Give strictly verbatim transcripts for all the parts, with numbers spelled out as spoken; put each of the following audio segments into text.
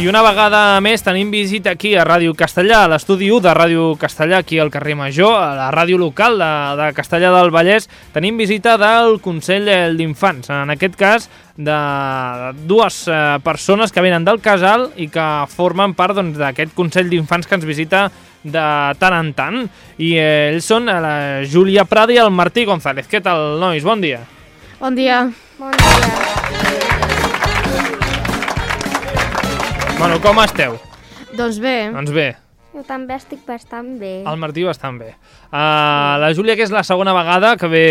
I una vegada més tenim visita aquí a Ràdio Castellà, a l'estudi u de Ràdio Castellà, aquí al carrer Major, a la ràdio local de, de Castellà del Vallès. Tenim visita del Consell d'Infants, en aquest cas de dues eh, persones que venen del casal i que formen part doncs, d'aquest Consell d'Infants que ens visita de tant en tant. I eh, ells són la Júlia Prada i el Martí González. Què tal, nois? Bon dia. Bon dia. Bon dia. Bueno, com esteu? Doncs bé. Doncs bé. Jo també estic bastant bé. El Martí bastant bé. Uh, la Júlia, que és la segona vegada que ve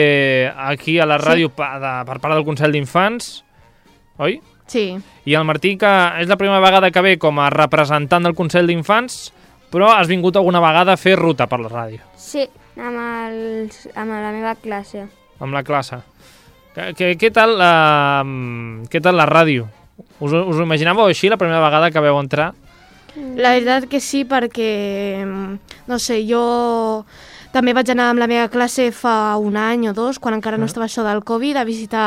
aquí a la ràdio sí. pa, de, per part del Consell d'Infants, oi? Sí. I el Martí, que és la primera vegada que ve com a representant del Consell d'Infants, però has vingut alguna vegada a fer ruta per la ràdio. Sí, amb, el, amb la meva classe. Amb la classe. Què, què, tal, uh, què tal la ràdio? Us, us ho imaginàveu així la primera vegada que veu entrar? La veritat que sí, perquè, no sé, jo també vaig anar amb la meva classe fa un any o dos, quan encara no estava això del Covid, a visitar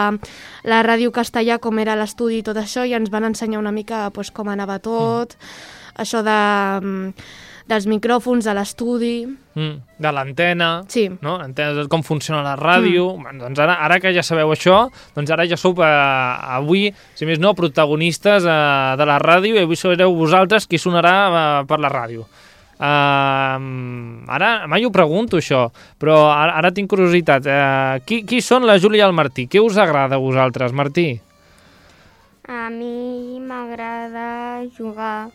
la Ràdio Castellà, com era l'estudi i tot això, i ens van ensenyar una mica pues, com anava tot, mm. això de, dels micròfons, de l'estudi... Mm, de l'antena, sí. No? L'antena, com funciona la ràdio... Mm. Bueno, doncs ara, ara que ja sabeu això, doncs ara ja sou eh, avui, si més no, protagonistes eh, de la ràdio, i avui sereu vosaltres qui sonarà eh, per la ràdio. Uh, ara mai ho pregunto això, però ara, ara tinc curiositat. Uh, qui, qui són la Júlia i el Martí? Què us agrada a vosaltres, Martí? A mi m'agrada jugar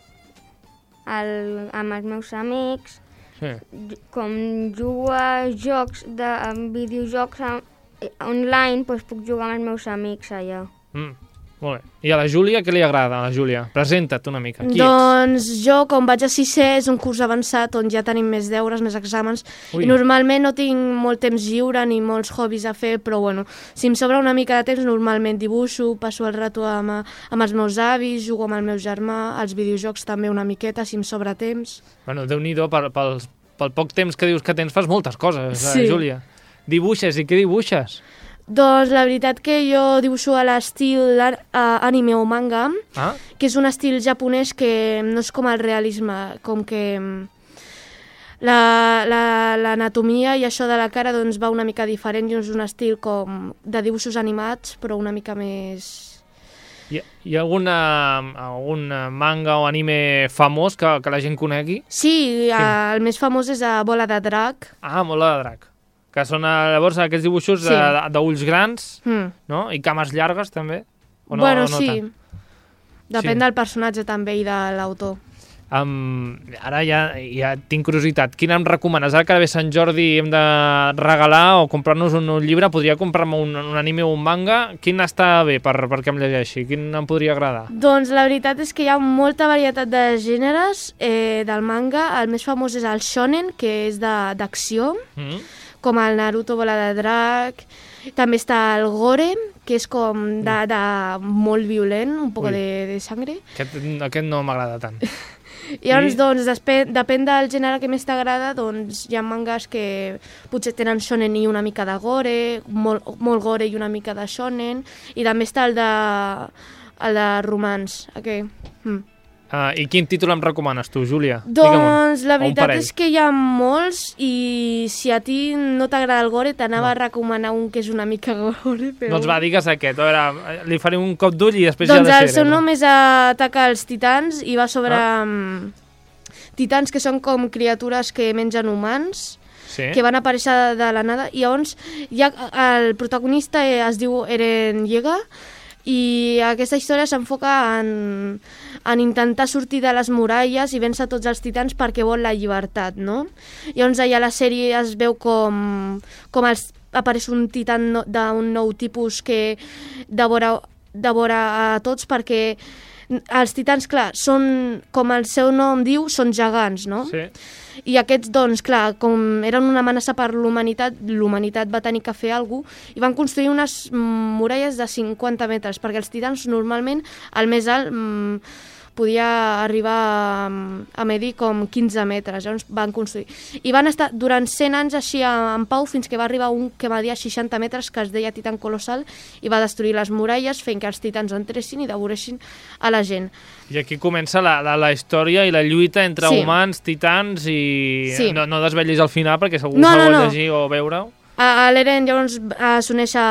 al, amb els meus amics, sí. Com jugo a jocs, de, a videojocs a, online, doncs puc jugar amb els meus amics allà. Mm. Molt bé. I a la Júlia, què li agrada a la Júlia? Presenta't una mica. Qui doncs ets? Jo, com vaig a sisè, és un curs avançat on ja tenim més deures, més exàmens, Ui. i normalment no tinc molt temps lliure ni molts hobbies a fer, però bueno, si em sobra una mica de temps, normalment dibuixo, passo el rato amb, amb els meus avis, jugo amb el meu germà, als videojocs també una miqueta, si em sobra temps. Bueno, Déu-n'hi-do, pel, pel, pel poc temps que dius que tens, fas moltes coses, sí. eh, Júlia. Dibuixes, i què dibuixes? Doncs la veritat que jo dibuixo a l'estil uh, anime o manga, ah? que és un estil japonès que no és com el realisme, com que l'anatomia la, la, i això de la cara doncs, va una mica diferent i és un estil com de dibuixos animats, però una mica més... Hi ha, hi ha alguna, algun manga o anime famós que, que la gent conegui? Sí, sí. Uh, el més famós és a Bola de Drac. Ah, Bola de Drac. Que són llavors aquests dibuixos sí. d'ulls grans, mm. no? I cames llargues també? O no, bueno, o no sí. Tant? Depèn sí. del personatge també i de l'autor. Um, ara ja, ja tinc curiositat. Quin em recomanes? Ara que ve Sant Jordi hem de regalar o comprar-nos un, un llibre, podria comprar-me un, un anime o un manga. Quin està bé per, perquè em llegeixi? Quin em podria agradar? Doncs la veritat és que hi ha molta varietat de gèneres eh, del manga. El més famós és el shonen, que és d'acció. Mm. Com el Naruto Bola de Drac, també està el gore, que és com de, de molt violent, un poc de, de sangre. Aquest, aquest no m'agrada tant. I llavors, I... doncs, depèn, depèn del gènere que més t'agrada, doncs hi ha mangas que potser tenen shonen i una mica de gore, molt, molt gore i una mica de shonen, i també està el de, el de romans, aquest. Mm. Uh, I quin títol em recomanes tu, Júlia? Doncs la veritat és que hi ha molts i si a ti no t'agrada el gore t'anava no. a recomanar un que és una mica gore, però... Doncs va, digues aquest. A veure, li faré un cop d'ull i després doncs ja el seu nom és Ataca als titans i va sobre ah. um, titans que són com criatures que mengen humans, sí. que van aparèixer de, de la nada, i llavors ja, el protagonista es diu Eren Yeager i aquesta història s'enfoca en, en intentar sortir de les muralles i vèncer tots els titans perquè vol la llibertat, no? Llavors allà a la sèrie es veu com, com els, apareix un titan no, d'un nou tipus que devora, devora a tots perquè els titans, clar, són, com el seu nom diu, són gegants, no? Sí. I aquests, doncs, clar, com eren una amenaça per l'humanitat, l'humanitat va tenir que fer alguna cosa i van construir unes muralles de cinquanta metres, perquè els titans normalment, el més alt, podia arribar a, a medir com quinze metres, llavors van construir. I van estar durant cent anys així en pau fins que va arribar un que media seixanta metres que es deia Titan Colossal i va destruir les muralles fent que els titans entressin i devoressin a la gent. I aquí comença la, la, la història i la lluita entre sí. humans, titans i... Sí. No, no desvetllis al final perquè segur no, que no, ho no. llegir o veure-ho. A l'Eren llavors s'uneix a,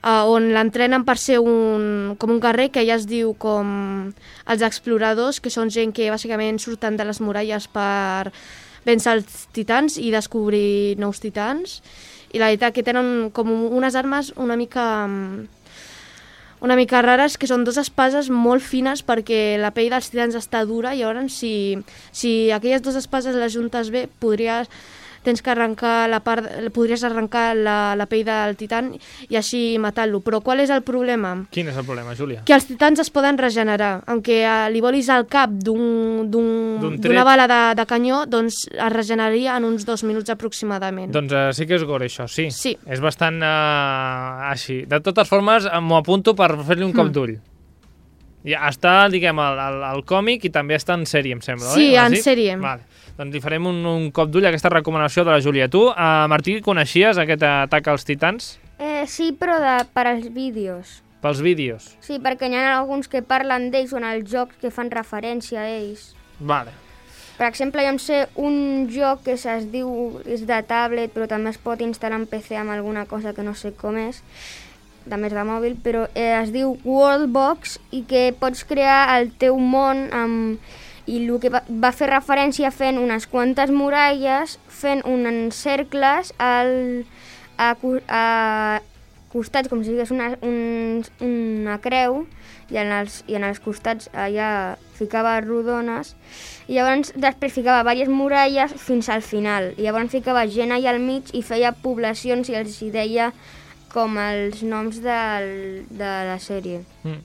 a on l'entrenen per ser un, com un guerrer que ja es diu com els exploradors, que són gent que bàsicament surten de les muralles per vèncer els titans i descobrir nous titans. I la veritat que tenen com unes armes una mica... una mica rares, que són dues espases molt fines perquè la pell dels titans està dura i llavors si, si aquelles dues espases les juntes bé podries, tens que arrencar la part, podries arrencar la, la pell del titan i així matar-lo. Però qual és el problema? Quin és el problema, Júlia? Que els titans es poden regenerar. Aunque uh, li volis al cap d'una un, un, bala de, de canyó, doncs es regeneraria en uns dos minuts aproximadament. Doncs uh, sí que és gore, això, sí. Sí. És bastant uh, així. De totes formes, m'ho apunto per fer-li un cop mm. d'ull. Ja està, diguem, al, al, al còmic i també està en sèrie, em sembla, sí, oi? en sèrie. Vale. Doncs li farem un, un cop d'ull a aquesta recomanació de la Júlia. Tu, uh, Martí, coneixies aquest atac als titans? Eh, sí, però de, per als vídeos. Pels vídeos? Sí, perquè hi ha alguns que parlen d'ells o en els jocs que fan referència a ells. Vale. Per exemple, jo em sé un joc que es diu, és de tablet, però també es pot instal·lar en P C amb alguna cosa que no sé com és, també és de mòbil, però eh, es diu Worldbox i que pots crear el teu món amb... i el que va, va fer referència fent unes quantes muralles, fent uns cercles al, a, a costats, com si digués una, un, una creu, i en, els, i en els costats allà ficava rodones, i llavors després ficava diverses muralles fins al final, i llavors ficava gent allà al mig i feia poblacions i els hi deia com els noms del, de la sèrie. Mm.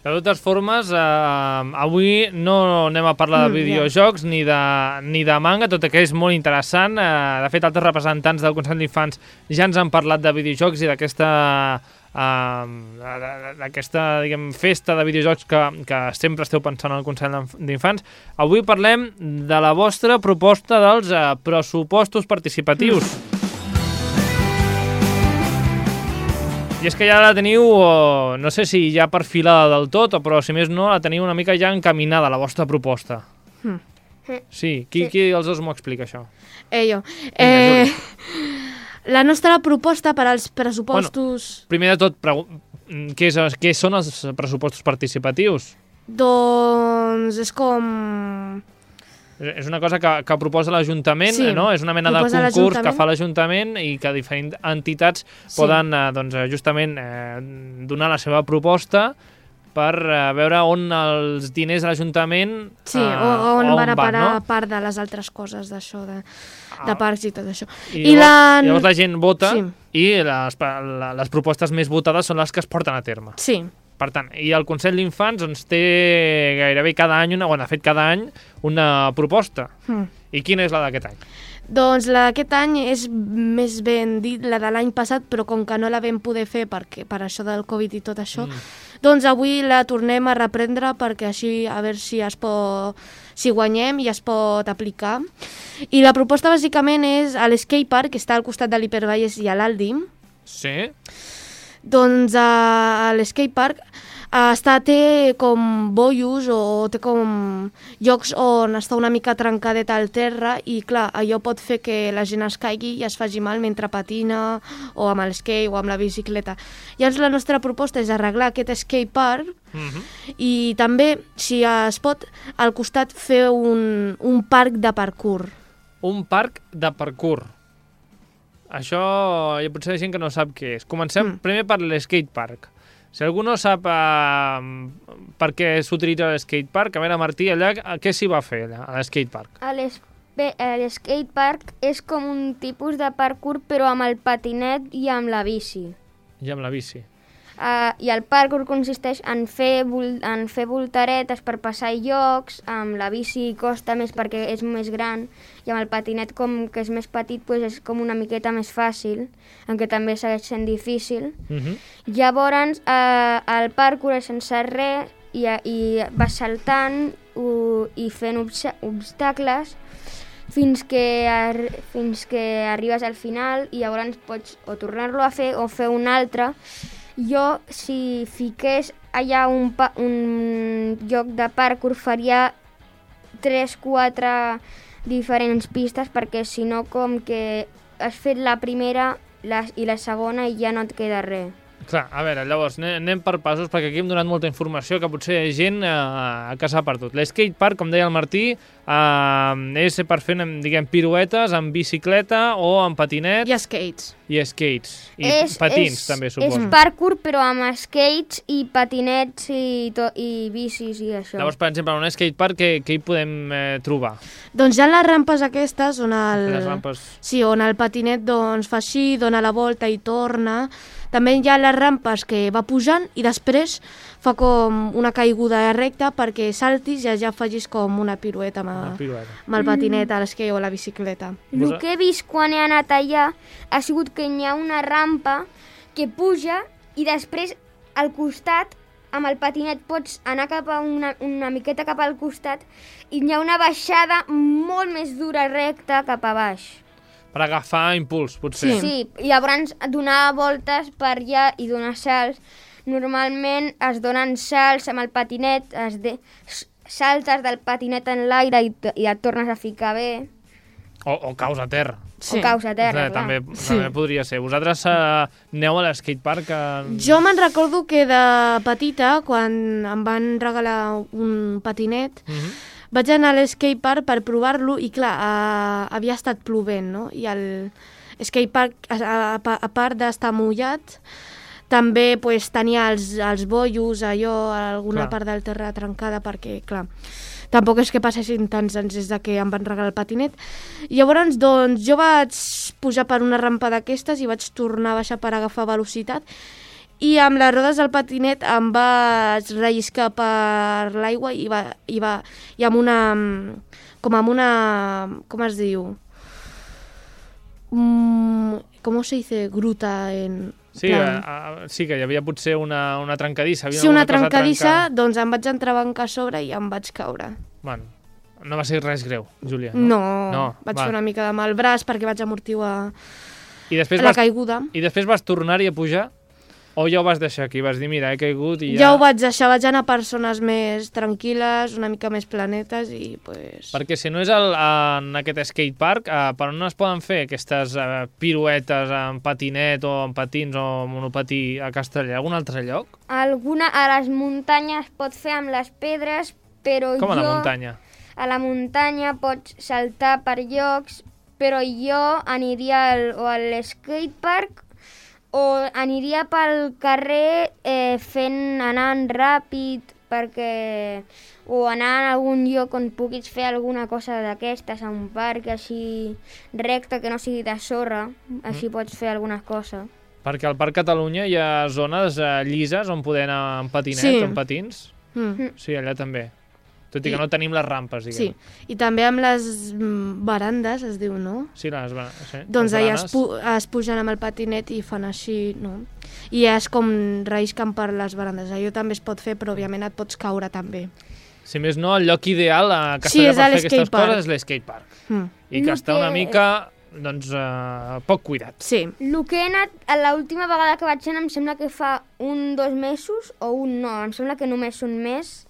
De totes formes, eh, avui no anem a parlar de videojocs ni de, ni de manga, tot i que és molt interessant. Eh, de fet, altres representants del Consell d'Infants ja ens han parlat de videojocs i d'aquesta eh, d'aquesta, diguem, festa de videojocs que, que sempre esteu pensant al Consell d'Infants. Avui parlem de la vostra proposta dels eh, pressupostos participatius. Mm. I és que ja la teniu, no sé si ja perfilada del tot, però si més no, la teniu una mica ja encaminada, la vostra proposta. Mm. Sí, qui, qui dels dos m'ho explica, això? Eh, jo. Eh, la nostra proposta per als pressupostos... Bueno, primer de tot, què, és, què són els pressupostos participatius? Doncs és com... És una cosa que, que proposa l'Ajuntament, sí, no? És una mena de concurs que fa l'Ajuntament i que diferents entitats sí. poden eh, doncs, justament eh, donar la seva proposta per eh, veure on els diners de l'Ajuntament sí, eh, o on, on van a parar no? part de les altres coses d'això, de, de parcs i tot això. I, I llavors, la... llavors la gent vota sí. i les, les propostes més votades són les que es porten a terme. Sí. Per tant, i el Consell d'Infants doncs, té gairebé cada any, una, bueno, ha fet cada any una proposta. Mm. I quina és la d'aquest any? Doncs la d'aquest any és més ben dit la de l'any passat, però com que no la vam poder fer perquè, per això del Covid i tot això, mm. doncs avui la tornem a reprendre perquè així a veure si es pot, si guanyem i es pot aplicar. I la proposta bàsicament és a l'Skatepark, que està al costat de l'Hipervallès i a l'Aldi. Sí. Doncs a, a l'Skatepark està, té com bollos o té com llocs on està una mica trencadet al terra i clar, allò pot fer que la gent es caigui i es faci mal mentre patina o amb el skate o amb la bicicleta. Llavors la nostra proposta és arreglar aquest skatepark mm-hmm. i també, si es pot, al costat fer un, un parc de parkour. Un parc de parkour. Això hi ha potser gent que no sap què és. Comencem mm. primer per l'skatepark. Si algú no sap uh, per què s'utilitza l'skatepark, a veure, Martí, allà què s'hi va fer, allà, a l'skatepark? L'skatepark és com un tipus de parkour, però amb el patinet i amb la bici. I amb la bici. Uh, I el parkour consisteix en fer, en fer voltaretes per passar llocs, amb la bici costa més perquè és més gran, i amb el patinet, com que és més petit, pues és com una miqueta més fàcil, encara també segueix sent difícil. Uh-huh. Llavors, uh, el parkour és sense res, i, i vas saltant uh, i fent obs- obstacles fins que, ar- fins que arribes al final i llavors pots o tornar-lo a fer o fer un altre. Jo, si fiqués allà un, pa- un lloc de parkour, faria tres quatre diferents pistes, perquè si no, com que has fet la primera la, i la segona i ja no et queda res. Clar, a veure, llavors, anem per passos, perquè aquí hem donat molta informació que potser hi ha gent eh, que s'ha perdut. L'skate park, com deia el Martí, eh, és per fer, diguem, piruetes amb bicicleta o amb patinet. I skates. I skates. I és, patins, és, també, suposo. És parkour, però amb skates i patinets i, to, i bicis i això. Llavors, per exemple, en un skate park, què, què hi podem eh, trobar? Doncs hi ha les rampes aquestes, on el, Les rampes... sí, on el patinet doncs, fa així, dona la volta i torna. També hi ha les rampes que va pujant i després fa com una caiguda recta perquè saltis i ja facis com una pirueta amb, Una pirueta. amb el patinet, a l'esquei o la bicicleta. El que he vist quan he anat allà ha sigut que hi ha una rampa que puja i després al costat amb el patinet pots anar cap a una, una miqueta cap al costat i hi ha una baixada molt més dura recta cap a baix. Per agafar impuls, potser. Sí. Sí, i llavors donar voltes per allà i donar salts. Normalment es donen salts amb el patinet, es de... saltes del patinet en l'aire i, i et tornes a ficar bé. O, o caus a terra. Sí. O caus a terra, eh, clar. també, Sí. també podria ser. Vosaltres eh, aneu a l'escatepark? Eh... Jo me'n recordo que de petita, quan em van regalar un patinet, Uh -huh. vaig anar a l'escatepark per provar-lo i, clar, uh, havia estat plovent, no? I el skatepark, a, a, a part d'estar mullat, també pues, tenia els, els bollos, allò, alguna Clar. part del terra trencada, perquè, clar, tampoc és que passessin tants anys des de que em van regalar el patinet. I llavors, doncs, jo vaig pujar per una rampa d'aquestes i vaig tornar a baixar per agafar velocitat, i amb les rodes del patinet em vaig relliscar per l'aigua i, va, i, va, i amb una... com amb una... com es diu? Mm, com se dice gruta en... Sí, plan... a, a, sí, que hi havia potser una, una trencadissa. Havia Sí, una cosa trencadissa, trencar. doncs em vaig entrebancar a sobre i em vaig caure. Bueno, no va ser res greu, Júlia. No, No, no vaig val. fer una mica de mal braç perquè vaig amortiguar I després, la vas, caiguda. I després vas tornar-hi a pujar? O ja ho vas deixar aquí? Vas dir, mira, he caigut i ja... Ja ho vaig deixar, vaig anar per zones més tranquil·les, una mica més planetes i pues... Perquè si no és el, en aquest skatepark, eh, per on es poden fer aquestes eh, piruetes en patinet o en patins o monopatí a Castellà? Algun altre lloc? Alguna, a les muntanyes pot fer amb les pedres, però Com jo... a la muntanya? A la muntanya pots saltar per llocs, però jo aniria al, o a l'escatepark o aniria pel carrer eh, fent, anant ràpid, perquè... o anar a algun lloc on puguis fer alguna cosa d'aquestes, a un parc així recte, que no sigui de sorra, així mm. pots fer alguna cosa. Perquè al Parc Catalunya hi ha zones eh, llises on poder anar en patinet Sí. o en patins. Mm. Sí, allà també. Tot i que I- no tenim les rampes, Sí, diguem. i també amb les mm, barandes, es diu, no? Sí, les, ba- sí, Doncs les allà es, baranes. pu es pugen amb el patinet i fan així, no? I és com rellisquen per les barandes. Allò també es pot fer, però òbviament et pots caure també. Si més no, el lloc ideal a Sí, Castellà és per a fer aquestes l'escatepark. coses és l'escatepark. Mm. I que El està una que- mica, doncs, eh, poc cuidat. Sí. El que he anat, a l'última vegada que vaig anar, em sembla que fa un, dos mesos, o un no, em sembla que només un mes,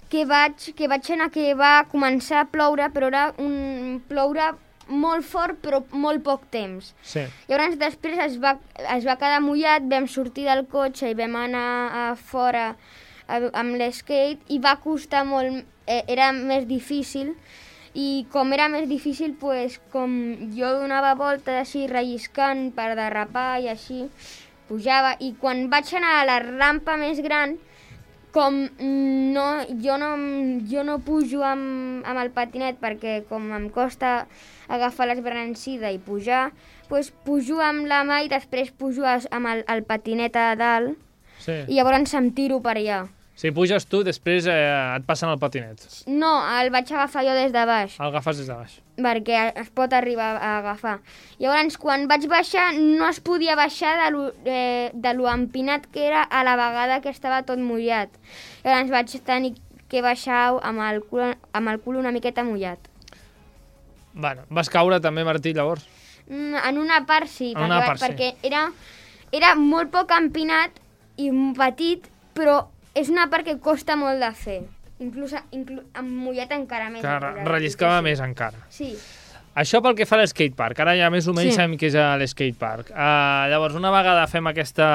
que vaig, que vaig anar, que va començar a ploure, però era un ploure molt fort, però molt poc temps. Sí. Llavors després es va, es va quedar mullat, vam sortir del cotxe i vam anar a fora a, amb l'skate i va costar molt, eh, era més difícil, i com era més difícil, pues, com jo donava voltes així relliscant per derrapar i així, pujava, i quan vaig anar a la rampa més gran, com no, jo, no, jo no pujo amb, amb el patinet perquè com em costa agafar l'esbrancida i pujar, doncs pujo amb la mà i després pujo amb el, el patinet a dalt Sí. i llavors em tiro per allà. Si puges tu, després eh, et passen el patinet. No, el vaig agafar jo des de baix. El agafes des de baix. Perquè es pot arribar a agafar. Llavors, quan vaig baixar, no es podia baixar de lo, eh, de lo empinat que era a la vegada que estava tot mullat. Llavors vaig tenir que baixar amb el cul, amb el cul una miqueta mullat. Bueno, vas caure també, Martí, llavors? Mm, en una part sí, en una perquè, part, sí. perquè era, era molt poc empinat i petit, però és una part que costa molt de fer. Inclús, inclús amb mullat encara més. Que relliscava més encara. Sí. Això pel que fa a l'skatepark. Ara ja més o menys sí. sabem què és l'skatepark. Uh, llavors, una vegada fem aquesta...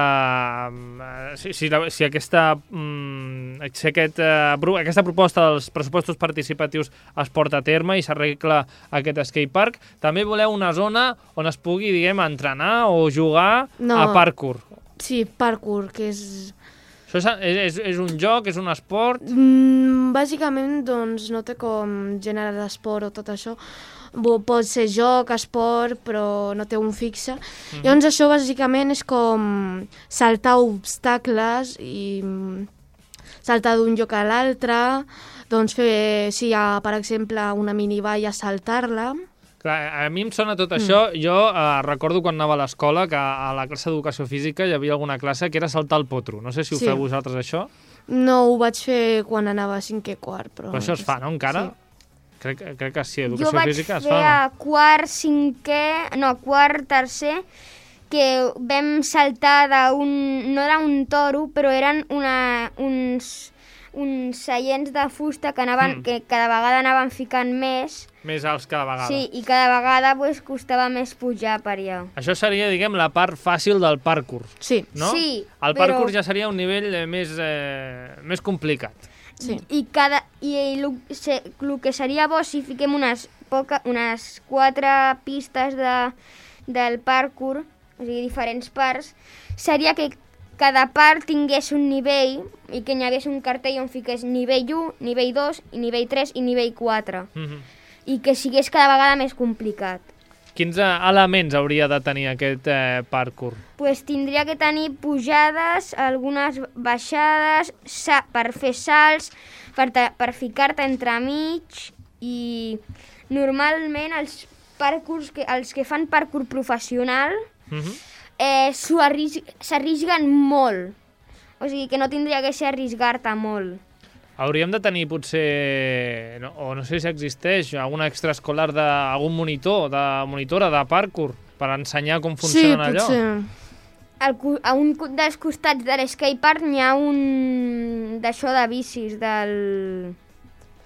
Uh, si, si, si, aquesta, um, si aquest, uh, aquesta proposta dels pressupostos participatius es porta a terme i s'arregla aquest skatepark, també voleu una zona on es pugui, diguem, entrenar o jugar no. a parkour. Sí, parkour, que és... Això és, és, és un joc, és un esport? Mm, bàsicament, doncs, no té com gènere d'esport o tot això. Pot ser joc, esport, però no té un fixe. Mm-hmm. Llavors, això bàsicament és com saltar obstacles i saltar d'un lloc a l'altre, doncs fer, si hi ha, per exemple, una minivalla, saltar-la. Clar, a mi em sona tot això. Mm. Jo eh, recordo quan anava a l'escola que a la classe d'educació física hi havia alguna classe que era saltar el potro. No sé si ho sí. feu vosaltres, això. No, ho vaig fer quan anava a cinquè quart. Però, però això es fa, no, encara? Sí. Crec, crec que sí, educació jo física es fa. Jo vaig fer a quart, cinquè... No, quart, tercer, que vam saltar d'un... No era un toro, però eren una, uns... uns seients de fusta que, anaven, mm. que cada vegada anaven ficant més. Més alts cada vegada. Sí, i cada vegada pues, costava més pujar per allà. Això seria, diguem, la part fàcil del parkour. Sí. No? Sí, el parkour però... ja seria un nivell eh, més, eh, més complicat. Sí. I cada i el que seria bo si fiquem unes, poca, unes quatre pistes de, del parkour, o sigui, diferents parts, seria que cada part tingués un nivell i que n'hi hagués un cartell on fiqués nivell u, nivell dos, i nivell tres i nivell quatre. Mm-hmm. I que sigués cada vegada més complicat. Quins eh, elements hauria de tenir aquest eh, parkour? Pues tindria que tenir pujades, algunes baixades, sa per fer salts, per, per ficar-te entremig, i normalment els parkours, que, els que fan parkour professional, mm-hmm. eh, s'arrisguen molt. O sigui que no tindria que ser arrisgar-te molt. Hauríem de tenir potser, no, o no sé si existeix, algun extraescolar d'algun monitor, de monitora de parkour, per ensenyar com funcionen sí, allò. Sí, Al, a un dels costats de l'skatepark n'hi ha un d'això de bicis, del...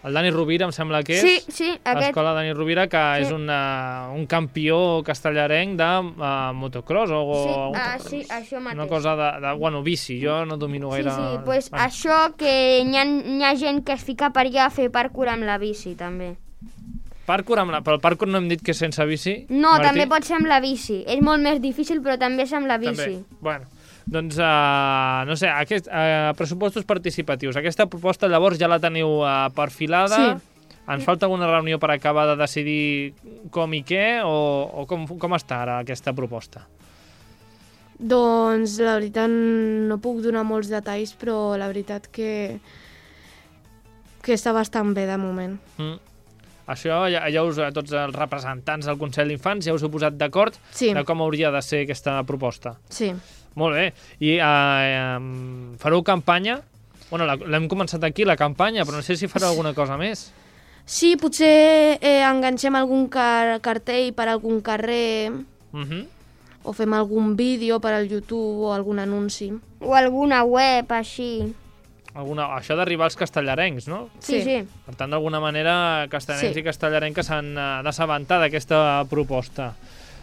El Dani Rovira, em sembla que és. Sí, sí, aquest. L'escola Dani Rovira, que sí. és una, un campió castellarenc de uh, motocross o... Sí, o ah, sí, això mateix. Una cosa de, de... Bueno, bici, jo no domino gaire... Sí, sí, pues bueno. Això que n'hi ha, hi ha gent que es fica per allà a fer parkour amb la bici, també. Parkour amb la... Però el parkour no hem dit que és sense bici, No, Martí? També pot ser amb la bici. És molt més difícil, però també és amb la bici. També, bueno... Doncs, uh, no sé, aquest, uh, pressupostos participatius. Aquesta proposta, llavors, ja la teniu uh, perfilada? Sí. Ens falta alguna reunió per acabar de decidir com i què, o, o com, com està ara aquesta proposta? Doncs, la veritat, no puc donar molts detalls, però la veritat que, que està bastant bé de moment. Mm. Això ja, ja us, tots els representants del Consell d'Infants ja us heu posat d'acord sí. de com hauria de ser aquesta proposta? Sí. Molt bé. I uh, fareu campanya? Bueno, l'hem començat aquí, la campanya, però no sé si fareu alguna cosa més. Sí, potser eh, enganxem algun car cartell per algun carrer, uh-huh. o fem algun vídeo per al YouTube o algun anunci. O alguna web, així. Alguna... Això d'arribar als castellarencs, no? Sí, sí. Per tant, d'alguna manera, castellarencs sí. i castellarenques s'han uh, d'assabentar d'aquesta proposta.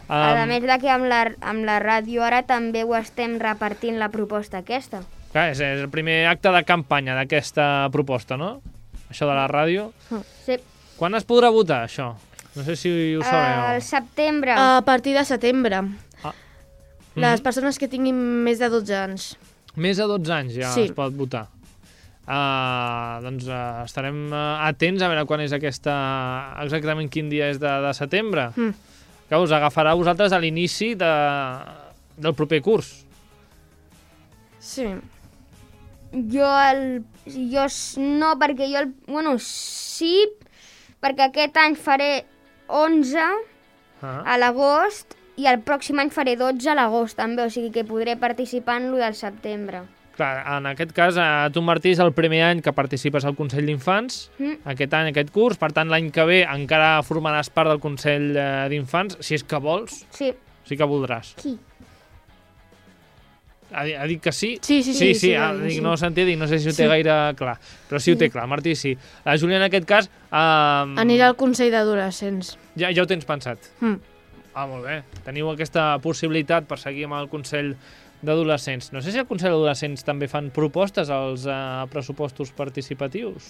Um... A més de que amb la, amb la ràdio ara també ho estem repartint la proposta aquesta. Clar, és, és el primer acte de campanya d'aquesta proposta, no? Això de la ràdio. Sí. Quan es podrà votar, això? No sé si ho sabeu. Al setembre. A partir de setembre. Ah. Les mm-hmm. persones que tinguin més de dotze anys. Més de dotze anys ja sí. es pot votar. Uh, doncs uh, estarem uh, atents a veure quan és aquesta... Exactament quin dia és de, de setembre. Mm. Que us agafarà a vosaltres a l'inici de, del proper curs. Sí. Jo el jo no, perquè jo... Bueno, sí, perquè aquest any faré onze ah. a l'agost i el pròxim any faré dotze a l'agost també, o sigui que podré participar en lo del setembre. Clar, en aquest cas, tu, Martí, és el primer any que participes al Consell d'Infants, mm. aquest any, aquest curs, per tant, l'any que ve encara formaràs part del Consell d'Infants, si és que vols. Sí. Sí que voldràs. Qui? Ha, ha dit que sí? Sí, sí, sí. Sí, sí, sí, ah, sí, dic, sí. no ho sentia, dic, no sé si ho té sí. gaire clar, però sí ho té clar, Martí sí. La Júlia, en aquest cas... Um... Anirà al Consell d'Adolescents. Ja, ja ho tens pensat? Mm. Ah, molt bé. Teniu aquesta possibilitat per seguir amb el Consell d'Adolescents. No sé si el Consell d'Adolescents també fan propostes als uh, pressupostos participatius.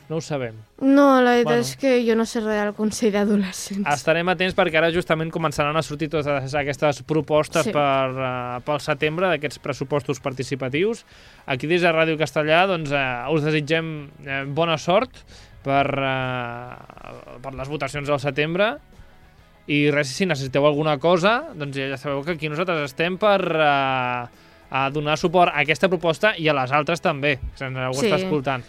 No ho sabem. No, la veritat bueno. és que jo no sé res del Consell d'Adolescents. Estarem atents perquè ara justament començaran a sortir totes aquestes propostes sí. per, uh, pel setembre d'aquests pressupostos participatius. Aquí des de Ràdio Castellà doncs, uh, us desitgem uh, bona sort per, uh, per les votacions del setembre. I res, si necessiteu alguna cosa, doncs ja sabeu que aquí nosaltres estem per uh, a donar suport a aquesta proposta i a les altres també, que ens ho sí. està escoltant.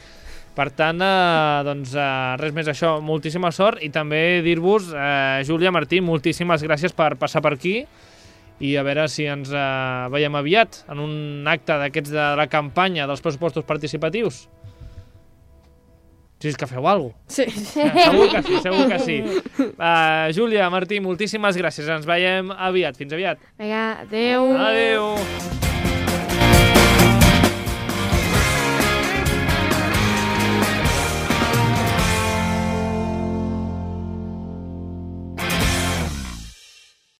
Per tant, uh, doncs uh, res més això, moltíssima sort i també dir-vos, uh, Júlia, Martí, moltíssimes gràcies per passar per aquí i a veure si ens uh, veiem aviat en un acte d'aquests de la campanya dels pressupostos participatius. Si és que feu alguna cosa. Sí. Eh, segur que sí, segur que sí. Uh, Júlia, Martí, moltíssimes gràcies. Ens veiem aviat. Fins aviat. Vinga, adeu. Adeu.